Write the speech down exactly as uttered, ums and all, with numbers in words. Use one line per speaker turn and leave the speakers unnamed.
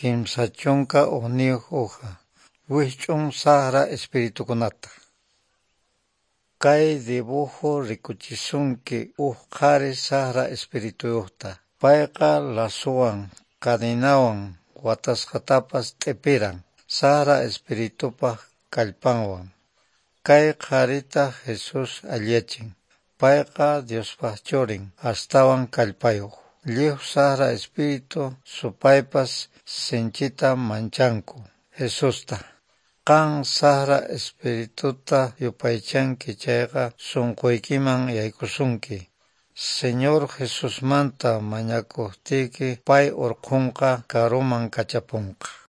Kimsa chunka hukniyuq hoja. Wikch'un saqra espiritukunata. Kay dibujo rikuchisunki huk qhari saqra espirituyuqta. Payqa lazuwan, cadinawan watasqatapas t'ipiran, saqra espiritupaq kallpanwan. Kay qharita Jesús alliyachin. Payqa Diospaq churin, astawan kallpayuq. Lliw saqra espíritu supaypas sinchita manchanku Jesusta. Qan saqra espirituta yupaychanki chayqa sunquykiman yaykusunki. Señor Jesusmanta mañakuqtiyki pay hurqunqa karuman kachapunqa.